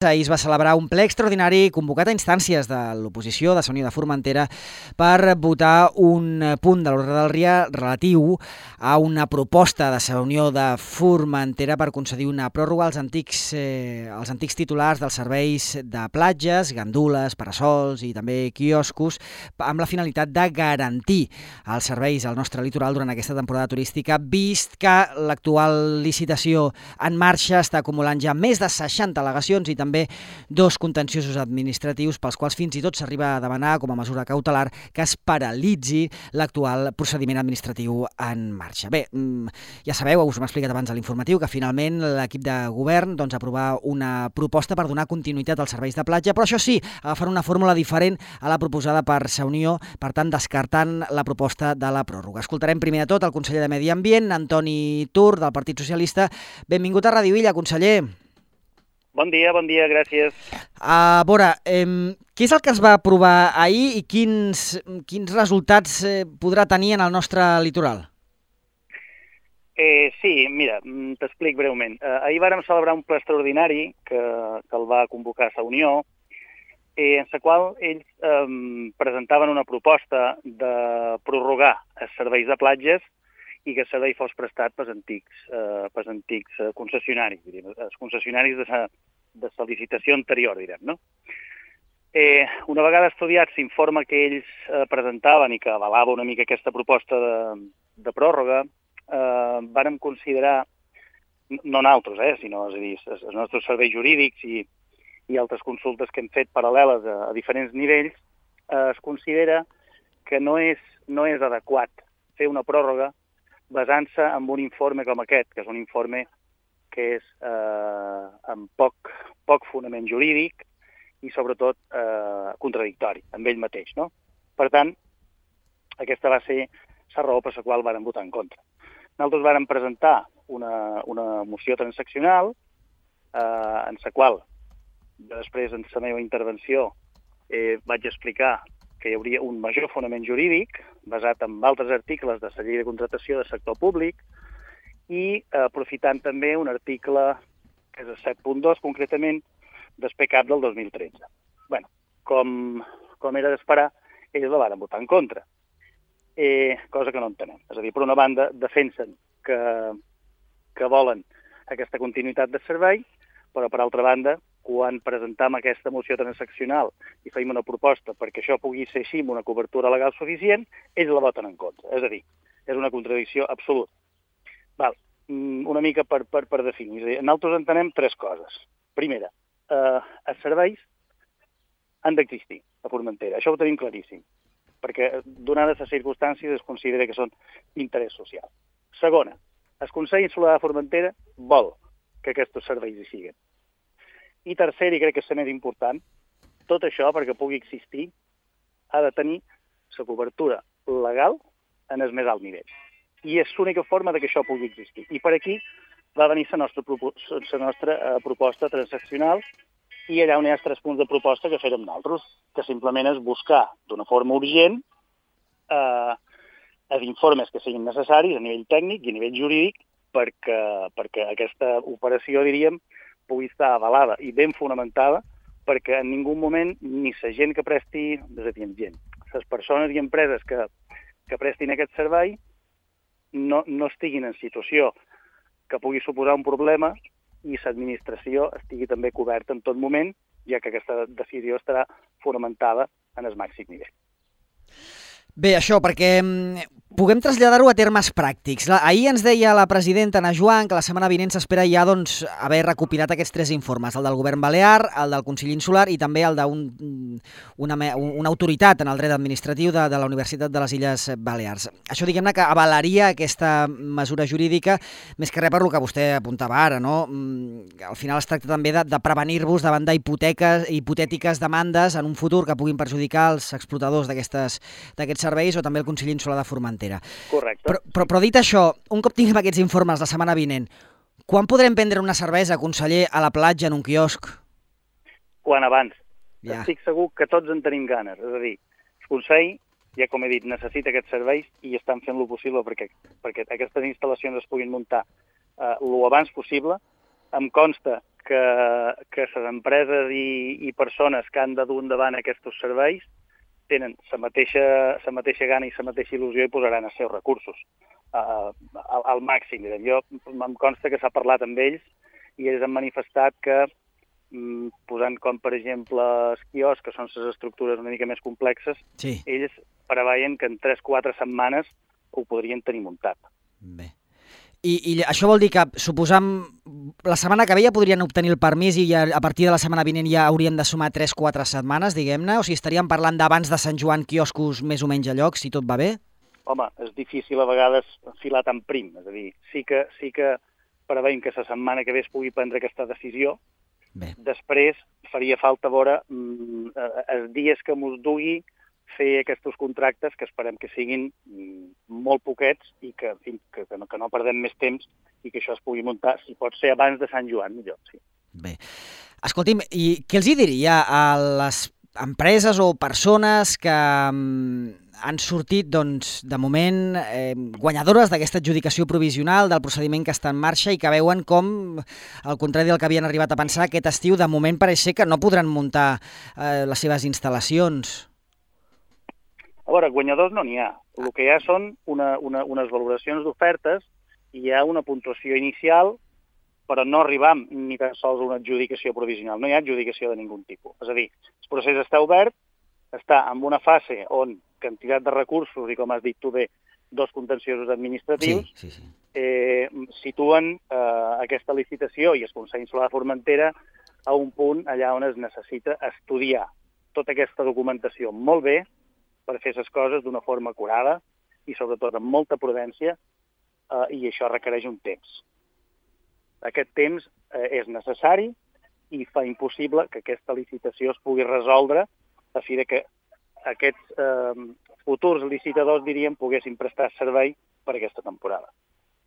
Ahir es va celebrar un ple extraordinari convocat a instàncies de l'oposició de Unió de Formentera per votar un punt de l'ordre del dia relatiu a una proposta de la Unió de Formentera per concedir una pròrroga als antics titulars dels serveis de platges, gandules, parasols i també quioscos amb la finalitat de garantir els serveis al nostre litoral durant aquesta temporada turística, vist que l'actual licitació en marxa està acumulant ja més de 60 al·legacions i també dos contenciosos administratius pels quals fins i tot s'arriba a demanar com a mesura cautelar que es paralitzi l'actual procediment administratiu en marxa. Bé, ja sabeu, us ho hem explicat abans a l'informatiu, que finalment l'equip de govern aprovar una proposta per donar continuïtat als serveis de platja, però això sí, agafant una fórmula diferent a la proposada per la Unió, per tant descartant la proposta de la pròrroga. Escoltarem primer de tot el conseller de Medi Ambient, Antoni Tur, del Partit Socialista. Benvingut a Ràdio Illa, conseller. Bon dia, gràcies. A veure, què és el que es va aprovar ahir i quins resultats podrà tenir en el nostre litoral? Sí, mira, t'explic breument. Ahir vàrem celebrar un ple extraordinari que el va convocar la Unió, en la qual ells presentaven una proposta de prorrogar els serveis de platges i que el servei fos prestat pels antics concessionaris, els concessionaris de la licitació anterior, direm, no? Una vegada estudiat l'informe que ells presentaven i que avalava una mica aquesta proposta de pròrroga, vàrem considerar, no nosaltres, sinó els nostres serveis jurídics i altres consultes que hem fet paral·leles a diferents nivells, es considera que no és adequat fer una pròrroga basant-se en un informe com aquest, que és un informe que és amb poc fonament jurídic i, sobretot, contradictori amb ell mateix, no? Per tant, aquesta va ser la raó per la qual vàrem votar en contra. Nosaltres vàrem presentar una moció transaccional en la qual, després, en la meva intervenció, vaig explicar que hi hauria un major fonament jurídic basat en altres articles de la llei de contractació del sector públic i aprofitant també un article, que és el 7.2, concretament, del PCAP del 2013. Bé, com era d'esperar, ells la van votar en contra, cosa que no entenem. És a dir, per una banda, defensen que volen aquesta continuïtat de servei, però per altra banda, quan presentam aquesta moció transaccional i feim una proposta perquè això pugui ser així amb una cobertura legal suficient, ells la voten en contra. És a dir, és una contradicció absoluta. Val. Una mica per definir. Nosaltres entenem tres coses. Primera, els serveis han d'existir a Formentera. Això ho tenim claríssim, perquè donades les circumstàncies es considera que són d'interès social. Segona, el Consell Insular de Formentera vol que aquests serveis hi siguin. I tercer, i crec que és el més important, tot això, perquè pugui existir, ha de tenir la cobertura legal en el més alt nivell. I és l'única forma que això pugui existir. I per aquí va venir la nostra proposta transaccional i allà on hi ha 3 punts de proposta que fèrem nosaltres, que simplement és buscar d'una forma urgent els informes que siguin necessaris a nivell tècnic i a nivell jurídic perquè aquesta operació, diríem, pugui estar avalada i ben fonamentada perquè en ningú moment ni la gent que presti, les persones i empreses que prestin aquest servei no estiguin en situació que pugui suposar un problema i l'administració estigui també coberta en tot moment, ja que aquesta decisió estarà fonamentada en el màxim nivell. Bé, això, perquè puguem traslladar-ho a termes pràctics. Ahir ens deia la presidenta Ana Joan que la setmana vinent s'espera ja haver recopilat aquests 3 informes, el del govern balear, el del Consell Insular i també el d'una autoritat en el dret administratiu de la Universitat de les Illes Balears. Això, diguem-ne, que avalaria aquesta mesura jurídica, més que res per lo que vostè apuntava ara, no? Al final es tracta també de prevenir-vos davant d'hipotètiques demandes en un futur que puguin perjudicar els explotadors d'aquests serveis o també el Consell Insular de Formentera. Correcte. Però dit això, un cop tinguem aquests informes la setmana vinent, quan podrem prendre una cervesa, conseller, a la platja, en un quiosc? Quan abans. Ja. Estic segur que tots en tenim ganes. És a dir, el Consell, ja com he dit, necessita aquests serveis i estan fent lo possible perquè aquestes instal·lacions es puguin muntar lo abans possible. Em consta que les empreses i persones que han de dur endavant aquests serveis tenen la mateixa gana i la mateixa il·lusió i posaran els seus recursos al màxim. Jo em consta que s'ha parlat amb ells i ells han manifestat que, posant com, per exemple, els quioscs, que són les estructures una mica més complexes, sí. Ells preveien que en 3-4 setmanes ho podrien tenir muntat. Bé. I això vol dir que, suposam, la setmana que ve ja podrien obtenir el permís i ja, a partir de la setmana vinent ja haurien de sumar 3-4 setmanes, diguem-ne? O sigui, estaríem parlant d'abans de Sant Joan quioscos més o menys a lloc, si tot va bé? Home, és difícil a vegades filar tan prim. És a dir, sí que preveiem que la setmana que ve es pugui prendre aquesta decisió. Bé. Després faria falta veure els dies que mos dugui fer aquests contractes, que esperem que siguin molt poquets i que no perdem més temps i que això es pugui muntar, si pot ser abans de Sant Joan, millor, sí. Bé. Escolti'm, i què els hi diria a les empreses o persones que han sortit, doncs, de moment, guanyadores d'aquesta adjudicació provisional del procediment que està en marxa i que veuen com, al contrari del que havien arribat a pensar, aquest estiu, de moment pareix ser que no podran muntar les seves instal·lacions? A veure, guanyadors no n'hi ha. El que hi ha són unes valoracions d'ofertes i hi ha una puntuació inicial, però no arribam ni tan sols a una adjudicació provisional. No hi ha adjudicació de ningun tipus. És a dir, el procés està obert, està en una fase on quantitat de recursos i, com has dit tu bé, 2 contenciosos administratius sí. situen aquesta licitació i el Consell Insular de Formentera a un punt allà on es necessita estudiar tota aquesta documentació molt bé per fer les coses d'una forma acurada i, sobretot, amb molta prudència, i això requereix un temps. Aquest temps és necessari i fa impossible que aquesta licitació es pugui resoldre a fi que aquests futurs licitadors, diríem, poguessin prestar servei per aquesta temporada.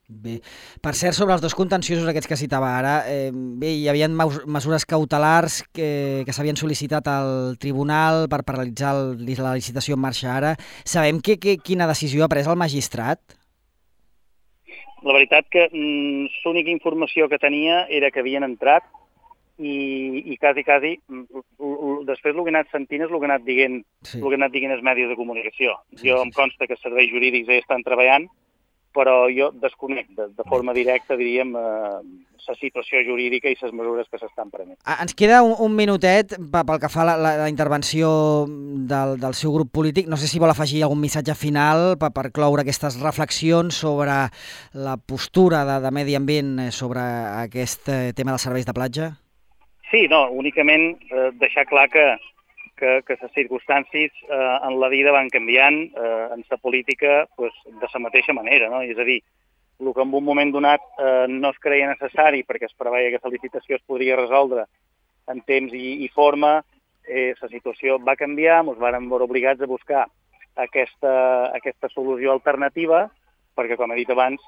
Bé. Per cert, sobre els 2 contenciosos aquests que citava ara, bé, hi havia mesures cautelars que s'havien sol·licitat al tribunal per paralitzar la licitació en marxa ara. Sabem quina decisió ha pres el magistrat? La veritat que l'única informació que tenia era que havien entrat i quasi, després el que he anat sentint és el que he anat dient, el que he anat dient els medis de comunicació. Jo em consta que els serveis jurídics ja estan treballant, però jo desconec de forma directa, diríem, la situació jurídica i les mesures que s'estan prenent. Ens queda un minutet pel que fa a la intervenció del seu grup polític. No sé si vol afegir algun missatge final per cloure aquestes reflexions sobre la postura de Medi Ambient sobre aquest tema dels serveis de platja. Sí, no, únicament deixar clar que les circumstàncies en la vida van canviant, en la política de la mateixa manera, no? És a dir, el que en un moment donat no es creia necessari perquè es preveia que la licitació es podria resoldre en temps i forma, la situació va canviar, ens vàrem veure obligats a buscar aquesta solució alternativa perquè, com he dit abans,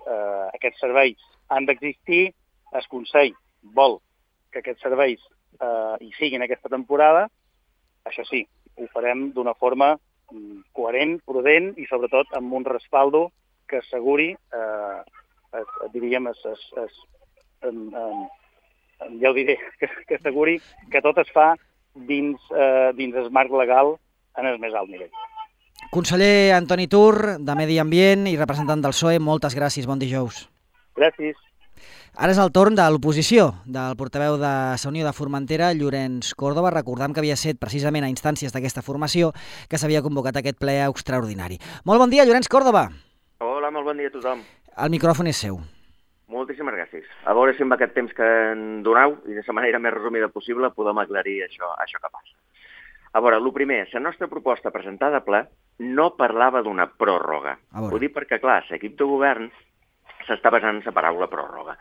aquests serveis han d'existir, el Consell vol que aquests serveis hi siguin aquesta temporada. Això sí, ho farem d'una forma coherent, prudent i, sobretot, amb un respaldo que asseguri, diríem, ja ho diré, que asseguri que tot es fa dins el marc legal en el més alt nivell. Conseller Antoni Tur, de Medi Ambient i representant del PSOE, moltes gràcies, bon dijous. Gràcies. Ara és el torn de l'oposició, del portaveu de la Unió de Formentera, Llorenç Córdoba. Recordam que havia set precisament a instàncies d'aquesta formació que s'havia convocat aquest ple extraordinari. Molt bon dia, Llorenç Córdoba. Hola, molt bon dia a tothom. El micròfon és seu. Moltíssimes gràcies. A veure si amb aquest temps que en doneu i de la manera més resumida possible podem aclarir això que passa. A veure, el primer, la nostra proposta presentada a ple no parlava d'una pròrroga. Ho dic perquè, clar, l'equip de govern s'està basant en la paraula pròrroga.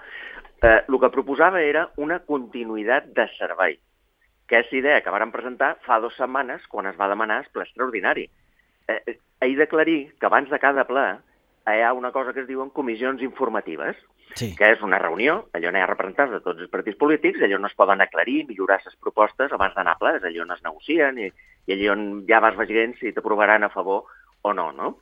El que proposava era una continuïtat de servei, que és la idea que vàrem presentar fa 2 setmanes quan es va demanar el ple extraordinari. He d'aclarir que abans de cada ple hi ha una cosa que es diuen comissions informatives, que és una reunió, allò on hi ha representants de tots els partits polítics, allò on es poden aclarir, millorar les propostes abans d'anar a ple, és allò on es negocien i allò on ja vas veient si t'aprovaran a favor o no, no?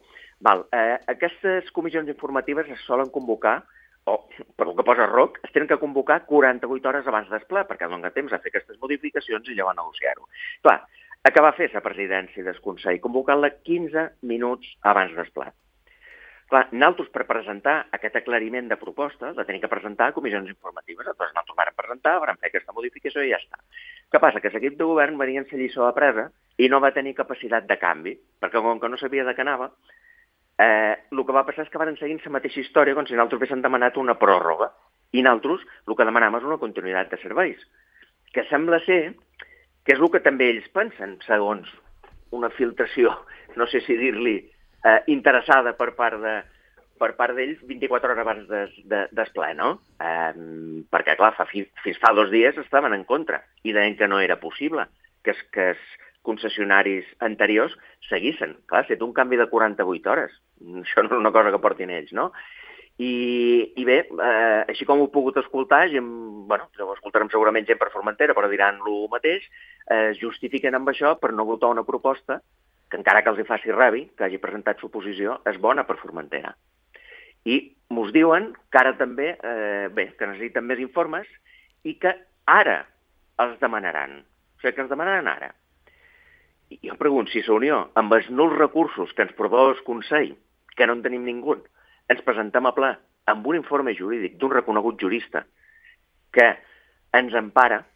Aquestes comissions informatives es solen convocar o per el que posa ROC, es tenen que convocar 48 hores abans del ple, perquè dona temps a fer aquestes modificacions i llavors negociar-ho. Clar, què va fer la presidència del Consell? Convocant-la 15 minuts abans del ple. Clar, nosaltres per presentar aquest aclariment de proposta la tenim que presentar a comissions informatives. Llavors nosaltres vam presentar, vam fer aquesta modificació i ja està. Què passa? Que l'equip de govern venia en la lliçó apresa i no va tenir capacitat de canvi, perquè com que no sabia de què anava, el que va passar és que van seguir la mateixa història com si nosaltres haguéssim demanat una pròrroga. I nosaltres el que demanàvem és una continuïtat de serveis, que sembla ser que és el que també ells pensen, segons una filtració, no sé si dir-li, interessada per part d'ells 24 hores abans del ple, no? Perquè, clar, fins fa 2 dies estaven en contra i deien que no era possible que els concessionaris anteriors seguissin. Clar, si té un canvi de 48 hores, això no és una cosa que portin ells, no? I bé, així com ho he pogut escoltar, ho escoltarem segurament gent per Formentera, però diran el mateix, es justifiquen amb això per no votar una proposta que encara que els hi faci rabi, que hagi presentat suposició, és bona per Formentera. I mos diuen que ara també, que necessiten més informes i que ara els demanaran. O sigui, que ens demanaran ara. I jo pregunto, si la Unió, amb els nuls recursos que ens proposa el Consell, que no en tenim ningú, ens presentem a ple amb un informe jurídic d'un reconegut jurista que ens empara,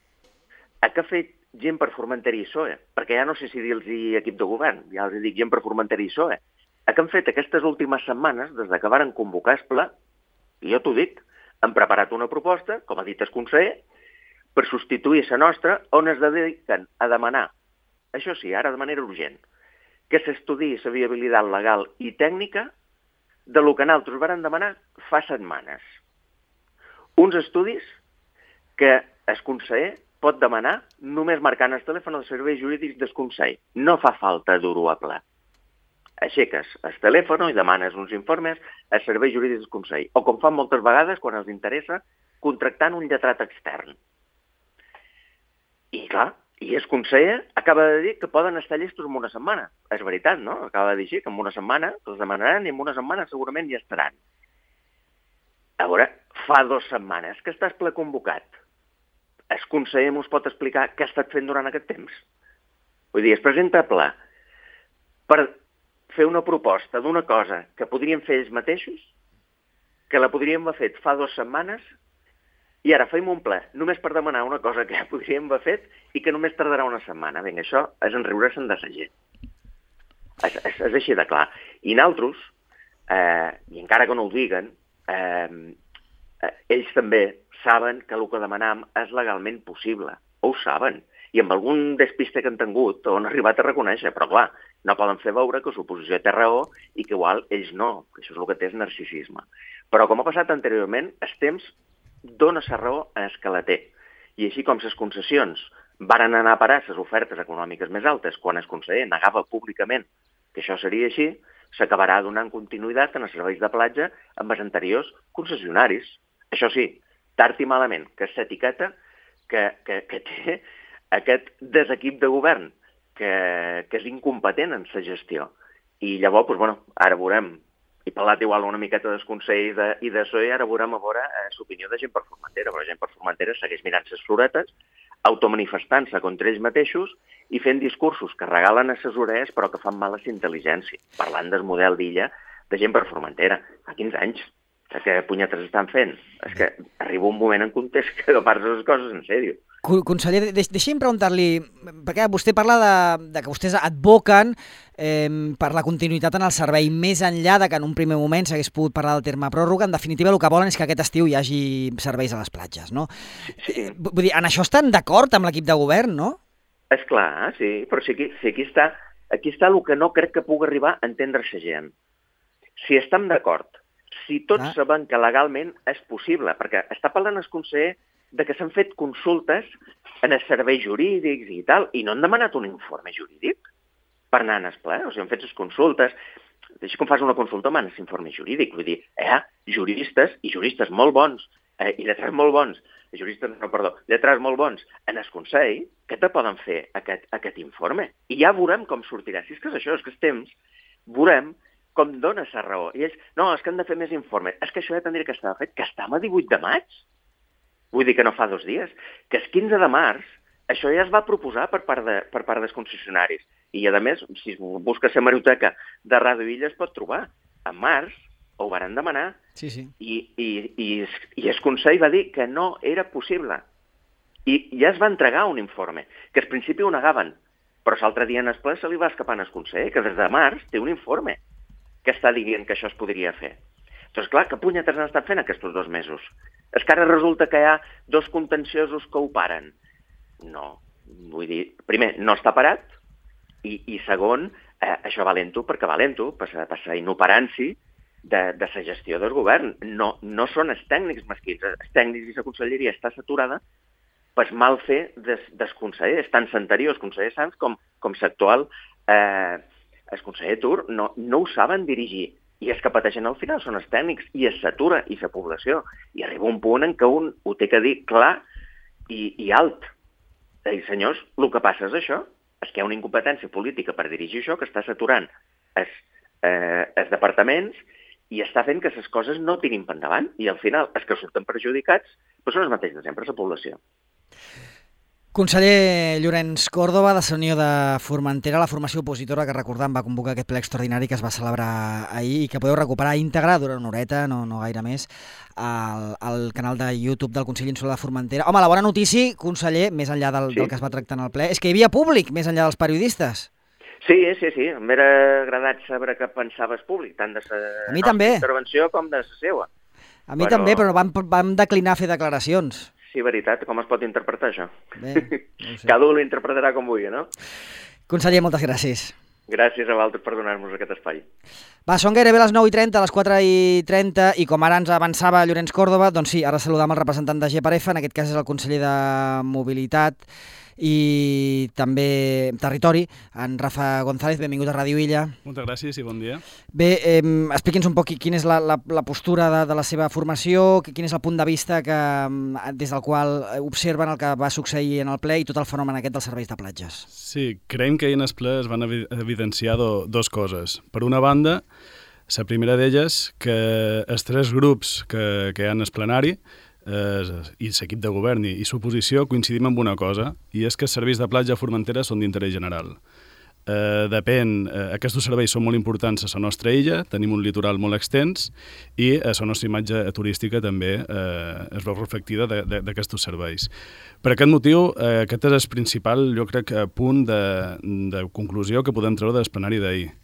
a què ha fet gent per Formentera i PSOE, perquè ja no sé si dir-los equip de govern, ja els dic gent per Formentera i PSOE. Què han fet aquestes últimes setmanes, des que varen convocar el ple, i jo t'ho dic, han preparat una proposta, com ha dit el conseller, per substituir la nostra, on es dediquen a demanar, això sí, ara de manera urgent, que s'estudiï la viabilitat legal i tècnica de lo que nosaltres varen demanar fa setmanes. Uns estudis que el conseller pot demanar només marcant el telèfon dels serveis jurídics del Consell. No fa falta dur-ho a ple. Aixeques el telèfon i demanes uns informes als serveis jurídics del Consell. O com fan moltes vegades, quan els interessa, contractant un lletrat extern. I clar, i el conseller acaba de dir que poden estar llestos en una setmana. És veritat, no? Acaba de dir així, que en una setmana els demanaran i en una setmana segurament ja estaran. A veure, fa 2 setmanes que estàs ple convocat. El conseller ens pot explicar què ha estat fent durant aquest temps? Vull dir, es presenta a ple per fer una proposta d'una cosa que podríem fer ells mateixos, que la podríem haver fet fa 2 setmanes, i ara fem un ple només per demanar una cosa que podríem haver fet i que només tardarà una setmana. Vinga, això és enriure-se'n de la gent. És així de clar. I nosaltres, i encara que no ho diguen, ells també saben que el que demanam és legalment possible. Ho saben. I amb algun despiste que han tingut ho han arribat a reconèixer. Però clar, no poden fer veure que l'oposició té raó i que igual ells no. Que això és el que té és narcisisme. Però com ha passat anteriorment, el temps dona la raó a el que la té. I així com les concessions varen anar a parar les ofertes econòmiques més altes quan el conseller negava públicament que això seria així, s'acabarà donant continuïtat en els serveis de platja amb els anteriors concessionaris. Això sí, tard i malament, que és l'etiqueta que té aquest desequip de govern, que és incompetent en la gestió. I llavors, doncs, bueno, ara veurem, he parlat igual una miqueta del Consell i de PSOE, ara veurem a veure l'opinió de gent per Formentera, però gent per Formentera segueix mirant les floretes, automanifestant-se contra ells mateixos i fent discursos que regalen a ses orelles però que fan mal a la intel·ligència, parlant del model d'illa de gent per Formentera. Fa 15 anys. Que punyetes estan fent? És que arriba un moment en context que agafar les coses en sèrio. Conseller, deixi'm preguntar-li, perquè vostè parla de que vostès advoquen per la continuïtat en el servei, més enllà de que en un primer moment s'hagués pogut parlar del terme pròrroga. En definitiva, el que volen és que aquest estiu hi hagi serveis a les platges, no? Sí. Vull dir, en això estan d'acord amb l'equip de govern, no? És clar, sí, però si aquí està el que no crec que pugui arribar a entendre la gent. Si estem d'acord, si tots sabem que legalment és possible, perquè està parlant el conseller de que s'han fet consultes en els serveis jurídics i tal, i no han demanat un informe jurídic per anar en el ple, o sigui, han fet les consultes, així com fas una consulta amb aquest informe jurídic, vull dir, juristes molt bons, i lletrats molt bons, lletrats molt bons en el Consell, que te poden fer aquest informe? I ja veurem com sortirà. Si és que és això, és que els temps, veurem com dones la raó. I ells, no, és que hem de fer més informe. És que això ja tindria que estar fet, que estem a 18 de maig. Vull dir que no fa 2 dies. Que el 15 de març això ja es va proposar per part dels concessionaris. I, a més, si busques la hemeroteca de Ràdio Illa es pot trobar. En març ho varen demanar i el Consell va dir que no era possible. I ja es va entregar un informe, que al principi ho negaven, però l'altre dia en el ple se li va escapar al Consell, que des de març té un informe que està dient que això es podria fer. Doncs clar, que punyetes han estat fent aquests 2 mesos? És que ara resulta que hi ha 2 contenciosos que ho paren. No, vull dir, primer, no està parat, i segon, això va lento perquè va lento, passa inoperància de la gestió del govern. No són els tècnics mesquins, els tècnics i la conselleria està saturada pel mal fer dels consellers, tant l'anterior, el conseller Sanz, com l'actual, el conseller Tur, no ho saben dirigir. I els que pateixen al final són els tècnics, i es satura, i la població. I arriba un punt en què un ho té que dir clar i alt. I senyors, el que passa és això, és que hi ha una incompetència política per dirigir això, que està saturant els departaments i està fent que les coses no tirin per endavant. I al final, els que surten perjudicats són els mateixos de sempre, la població. Conseller Llorenç Córdoba, de la Unió de Formentera, la formació opositora que recordem va convocar aquest ple extraordinari que es va celebrar ahir i que podeu recuperar íntegre durant una horeta, no gaire més, al canal de YouTube del Consell Insular de Formentera. Home, la bona notícia, conseller, més enllà del que es va tractar en el ple, és que hi havia públic més enllà dels periodistes. Sí, m'era agradat saber què pensaves públic, tant de la nostra intervenció com de la seva. A mi també, però vam declinar fer declaracions. Sí, veritat, com es pot interpretar això? Bé, no ho sé. Cada un l'interpretarà com vulgui, no? Conseller, moltes gràcies. Gràcies a vosaltres per donar-nos aquest espai. Va, són gairebé les 9:30, les 4:30, i com ara ens avançava Llorenç Córdoba, doncs sí, ara saludam el representant de GEPAREFA, en aquest cas és el conseller de Mobilitat i també Territori, en Rafa González. Benvingut a Ràdio Illa. Moltes gràcies i bon dia. Bé, expliqui'ns un poc quina és la postura de la seva formació, quin és el punt de vista des del qual observen el que va succeir en el ple i tot el fenomen aquest dels serveis de platges. Sí, creiem que ahir en el ple es van evidenciar 2 coses. Per una banda, la primera d'elles, que els 3 grups que hi ha en el plenari i l'equip de govern i l'oposició coincidim amb una cosa, i és que els serveis de platja a Formentera són d'interès general. Aquests serveis són molt importants a la nostra illa, tenim un litoral molt extens i la nostra imatge turística també es veu reflectida d'aquests serveis. Per aquest motiu, aquest és el principal, jo crec, punt de conclusió que podem treure del plenari d'ahir.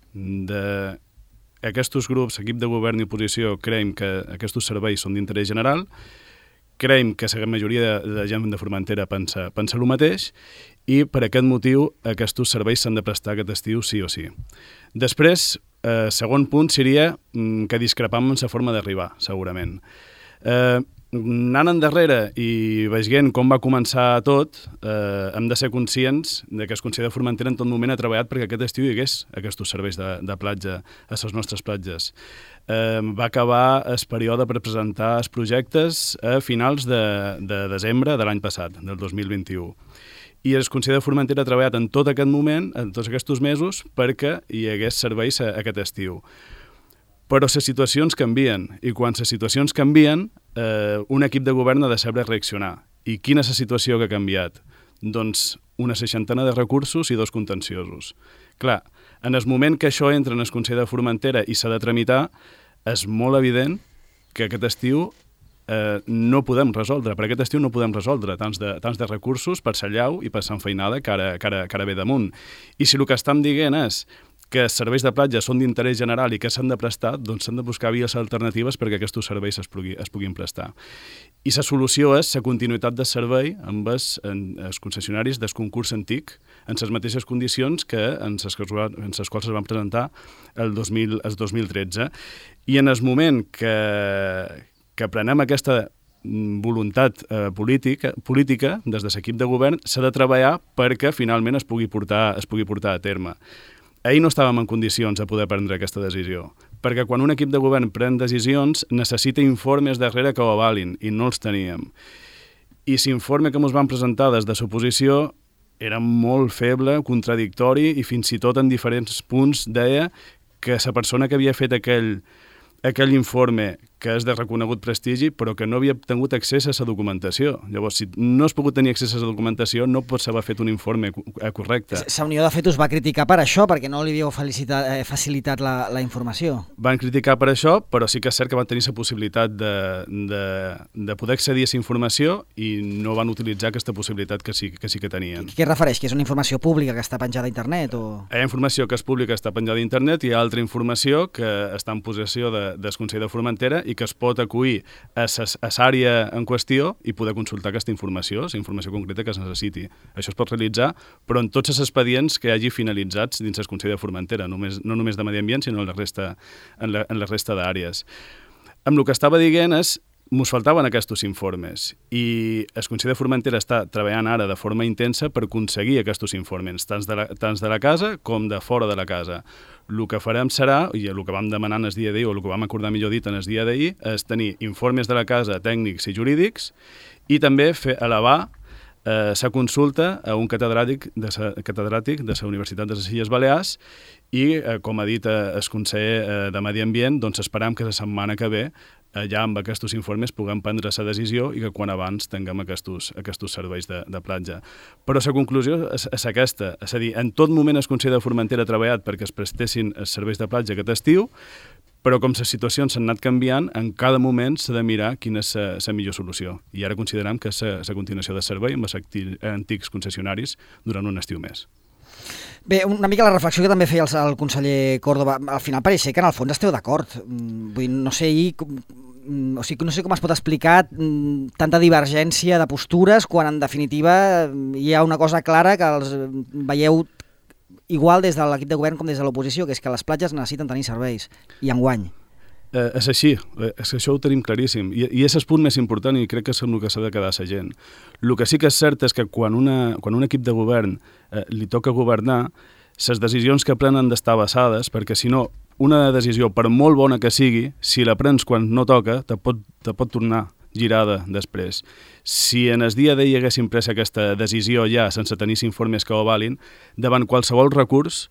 Aquests grups, equip de govern i oposició, creiem que aquests serveis són d'interès general, creiem que la majoria de gent de Formentera pensa el mateix i per aquest motiu aquests serveis s'han de prestar aquest estiu sí o sí. Després, segon punt seria que discrepam en la forma d'arribar, segurament. Anant endarrere i veient com va començar tot, hem de ser conscients que el Consell de Formentera en tot moment ha treballat perquè aquest estiu hi hagués aquests serveis de platja a les nostres platges. Va acabar el període per presentar els projectes a finals de desembre de l'any passat, del 2021. I el Consell de Formentera ha treballat en tot aquest moment, en tots aquests mesos, perquè hi hagués serveis aquest estiu. Però les situacions canvien, i quan les situacions canvien, un equip de govern ha de saber reaccionar. I quina és la situació que ha canviat? Doncs una 60 de recursos i 2 contenciosos. Clar, en el moment que això entra en el Consell de Formentera i s'ha de tramitar, és molt evident que aquest estiu no podem resoldre. Per aquest estiu no podem resoldre tants de recursos per la llau i per l'enfeinada que ara ve damunt. I si el que estem dient és que els serveis de platja són d'interès general i que s'han de prestar, doncs s'han de buscar vies alternatives perquè aquests serveis es puguin prestar. I la solució és la continuïtat del servei amb els concessionaris del concurs antic en les mateixes condicions que en les quals es van presentar el 2013. I en el moment que prenem aquesta voluntat política des de l'equip de govern, s'ha de treballar perquè finalment es pugui portar a terme. Ahir no estàvem en condicions de poder prendre aquesta decisió, perquè quan un equip de govern pren decisions necessita informes darrere que ho avalin, i no els teníem. I l'informe que ens van presentar des de l'oposició era molt feble, contradictori, i fins i tot en diferents punts deia que la persona que havia fet aquell informe, que és de reconegut prestigi, però que no havia tingut accés a la documentació. Llavors, si no has pogut tenir accés a la documentació, no pots haver fet un informe correcte. La Unió de fet us va criticar per això, perquè no li havíeu facilitat la informació. Van criticar per això, però sí que és cert que van tenir la possibilitat de poder accedir a aquesta informació i no van utilitzar aquesta possibilitat que sí que tenien. Què es refereix? Que és una informació pública que està penjada a internet? Hi ha informació que és pública, està penjada a internet, i hi ha altra informació que està en possessió del Consell de Formentera i que es pot acollir a l'àrea en qüestió i poder consultar aquesta informació, la informació concreta que es necessiti. Això es pot realitzar, però en tots els expedients que hi hagi finalitzats dins el Consell de Formentera, no només de Medi Ambient, sinó en la resta d'àrees. Amb el que estava dient és mos faltaven aquests informes i el Consell de Formentera està treballant ara de forma intensa per aconseguir aquests informes, tant de la casa com de fora de la casa. El que farem serà, i el que vam demanar en el dia d'ahir, o el que vam acordar millor dit en el dia d'ahir, és tenir informes de la casa tècnics i jurídics i també elevar la consulta a un catedràtic de la Universitat de les Illes Balears i, com ha dit el conseller de Medi Ambient, doncs esperam que la setmana que ve ja amb aquests informes puguem prendre la decisió i que quan abans tinguem aquests serveis de platja. Però la conclusió és aquesta, és a dir, en tot moment el Consell de Formentera ha treballat perquè es prestessin els serveis de platja aquest estiu, però com les situacions s'han anat canviant, en cada moment s'ha de mirar quina és la millor solució. I ara considerem que és la continuació de servei amb els antics concessionaris durant un estiu més. Bé, una mica la reflexió que també feia el conseller Córdoba, al final pareix ser que en el fons esteu d'acord. Vull dir, no sé com es pot explicar tanta divergència de postures quan en definitiva hi ha una cosa clara que els veieu igual des de l'equip de govern com des de l'oposició, que és que les platges necessiten tenir serveis i enguany. És així, això ho tenim claríssim i és el punt més important i crec que és el que s'ha de quedar la gent. El que sí que és cert és que quan un equip de govern li toca governar, les decisions que prenen d'estar basades, perquè si no, una decisió, per molt bona que sigui, si la prens quan no toca, te pot tornar girada després. Si en el dia d'ahir haguéssim pres aquesta decisió ja sense tenir informes que ho avalin, davant qualsevol recurs,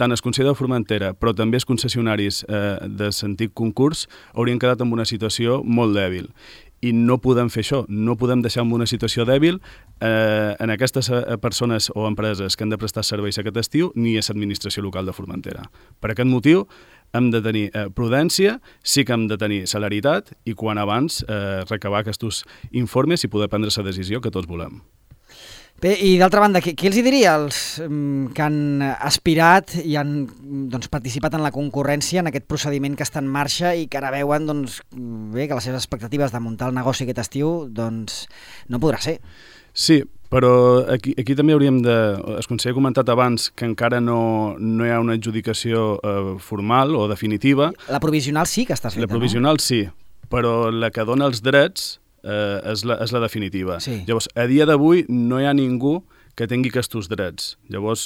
tant el Consell de Formentera, però també els concessionaris de l'antic concurs haurien quedat en una situació molt dèbil. I no podem fer això, no podem deixar en una situació dèbil en aquestes persones o empreses que han de prestar serveis aquest estiu ni a l'administració local de Formentera. Per aquest motiu hem de tenir prudència, sí que hem de tenir celeritat i quan abans recabar aquests informes i poder prendre la decisió que tots volem. Bé, i d'altra banda, què els diria als que han aspirat i han participat en la concurrència en aquest procediment que està en marxa i que ara veuen que les seves expectatives de muntar el negoci aquest estiu no podrà ser? Sí, però aquí també hauríem de... El conseller ha comentat abans que encara no hi ha una adjudicació formal o definitiva. La provisional sí que està feta, no? La provisional sí, però la que dona els drets és la definitiva. Sí. Llavors, a dia d'avui no hi ha ningú que tingui aquests drets. Llavors,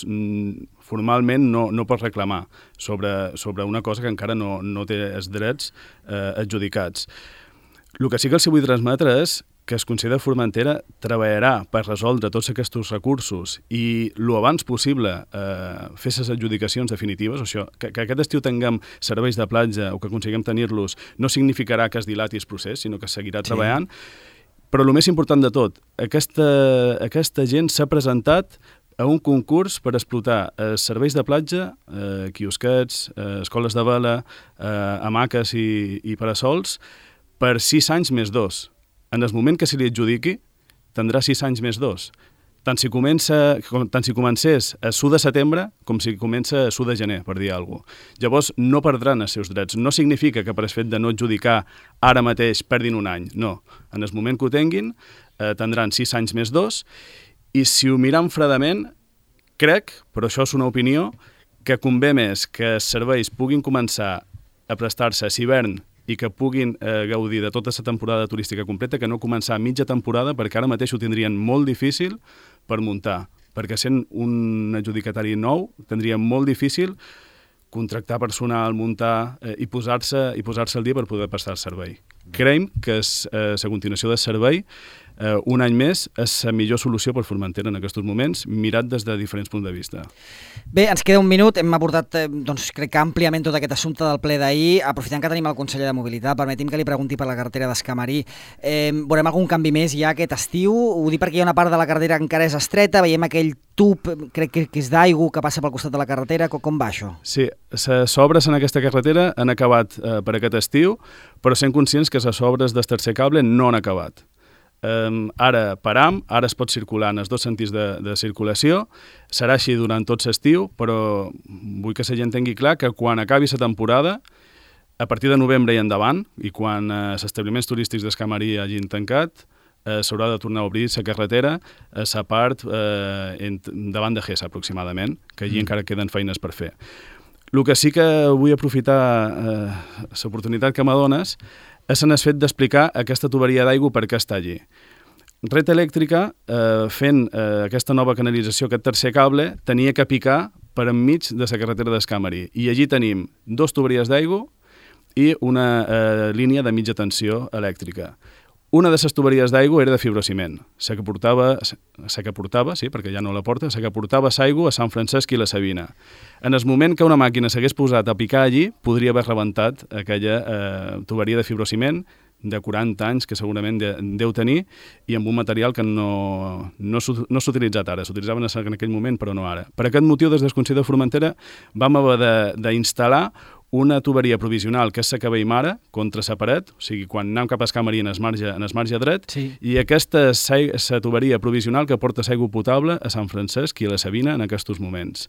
formalment no pot reclamar sobre una cosa que encara no té els drets adjudicats. El que sí que els vull transmetre és que el Consell de Formentera treballarà per resoldre tots aquests recursos i el abans possible fer les adjudicacions definitives. Això, que aquest estiu tinguem serveis de platja o que aconseguim tenir-los no significarà que es dilati el procés, sinó que seguirà treballant. Però el més important de tot, aquesta gent s'ha presentat a un concurs per explotar serveis de platja, quiosquets, escoles de vela, hamaques i parasols per 6 anys més 2. En el moment que se li adjudiqui, tindrà 6 anys més 2. Tant si comencés a 1 de setembre com si comença a 1 de gener, per dir alguna cosa. Llavors, no perdran els seus drets. No significa que per el fet de no adjudicar ara mateix perdin un any. No. En el moment que ho tinguin, tindran 6 anys més 2. I si ho miram fredament, crec, però això és una opinió, que convé més que els serveis puguin començar a prestar-se a l'hivern i que puguin gaudir de tota la temporada turística completa, que no començar a mitja temporada, perquè ara mateix ho tindrien molt difícil per muntar, perquè sent un adjudicatari nou tindrien molt difícil contractar personal, muntar i posar-se al dia per poder prestar el servei. Creiem que la continuació del servei un any més és la millor solució per Formentera en aquests moments, mirat des de diferents punts de vista. Bé, ens queda un minut, hem abordat, doncs, crec que àmpliament tot aquest assumpte del ple d'ahir. Aprofitant que tenim el conseller de Mobilitat, permeti'm que li pregunti per la carretera d'Escamarí. Veurem algun canvi més ja aquest estiu? Ho dic perquè hi ha una part de la carretera que encara és estreta, veiem aquell tub, crec que és d'aigua, que passa pel costat de la carretera. Com va això? Sí, les obres en aquesta carretera han acabat per aquest estiu, però sent conscients que les obres del tercer cable no han acabat. Ara param, ara es pot circular en els dos sentits de circulació, serà així durant tot l'estiu, però vull que la gent tingui clar que quan acabi la temporada, a partir de novembre i endavant, i quan els establiments turístics d'Escamarí hagin tancat, s'haurà de tornar a obrir la carretera a la part davant de Gessa, aproximadament, que allí encara queden feines per fer. El que sí que vull aprofitar l'oportunitat que m'adones és en el fet d'explicar aquesta tuberia d'aigua per què està allí. Red Elèctrica, fent aquesta nova canalització, aquest tercer cable, tenia que picar per enmig de la carretera d'Escamarí. I allí tenim 2 tuberies d'aigua i una línia de mitja tensió elèctrica. Una de les tuberies d'aigua era de fibrociment, la que portava, sí, perquè ja no la porta, la que portava l'aigua a Sant Francesc i la Sabina. En el moment que una màquina s'hagués posat a picar allí, podria haver rebentat aquella tuberia de fibrociment de 40 anys que segurament deu tenir i amb un material que no s'ha utilitzat ara, s'utilitzaven en aquell moment però no ara. Per aquest motiu, des del Consell de Formentera vam haver d'instal·lar una tuberia provisional que és la que veiem ara contra la paret, o sigui, quan anem cap a Escamarí en el marge dret, sí. I aquesta és la tuberia provisional que porta l'aigua potable a Sant Francesc i a la Sabina en aquests moments.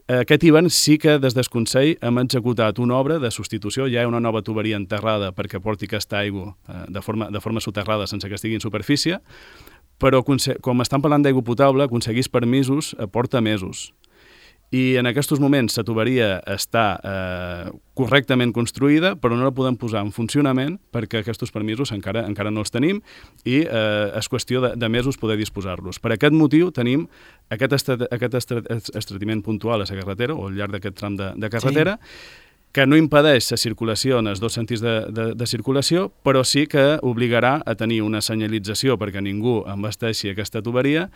Aquest hivern sí que des del Consell hem executat una obra de substitució, ja hi ha una nova tuberia enterrada perquè porti aquesta aigua de forma soterrada sense que estigui en superfície, però com estan parlant d'aigua potable, aconseguir permisos porta mesos. I en aquests moments la tuberia està correctament construïda, però no la podem posar en funcionament perquè aquests permisos encara no els tenim i és qüestió de mesos poder disposar-los. Per aquest motiu tenim aquest estretiment puntual a la carretera o al llarg d'aquest tram de carretera, sí, que no impedeix la circulació en els dos sentits de circulació, però sí que obligarà a tenir una senyalització perquè ningú embasteixi aquesta tuberia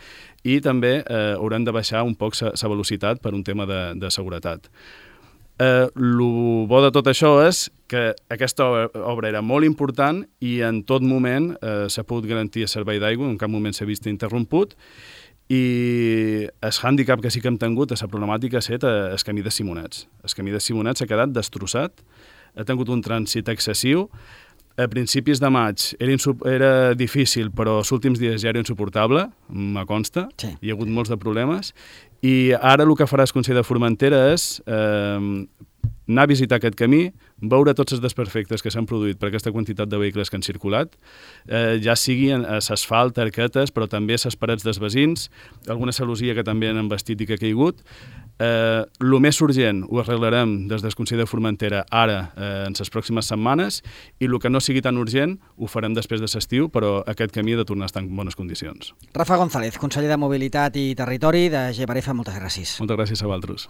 i també hauran de baixar un poc la velocitat per un tema de seguretat. El bo de tot això és que aquesta obra era molt important i en tot moment s'ha pogut garantir el servei d'aigua, en cap moment s'ha vist interromput, i el hàndicap que sí que hem tingut, la problemàtica ha estat el camí de Simonets. El camí de Simonets s'ha quedat destrossat, ha tingut un trànsit excessiu. A principis de maig era difícil, però els últims dies ja era insuportable, me consta, sí. Hi ha hagut molts de problemes, i ara el que farà el Consell de Formentera és anar a visitar aquest camí, veure tots els desperfectes que s'han produït per aquesta quantitat de vehicles que han circulat, ja sigui l'asfalt, arquetes, però també les parets dels veïns, alguna celosia que també han embastit i que ha caigut. El més urgent ho arreglarem des del Consell de Formentera ara, en les pròximes setmanes, i el que no sigui tan urgent ho farem després de l'estiu, però aquest camí ha de tornar a estar en bones condicions. Rafa González, conseller de Mobilitat i Territori de Geparefa, moltes gràcies. Moltes gràcies a vosaltres.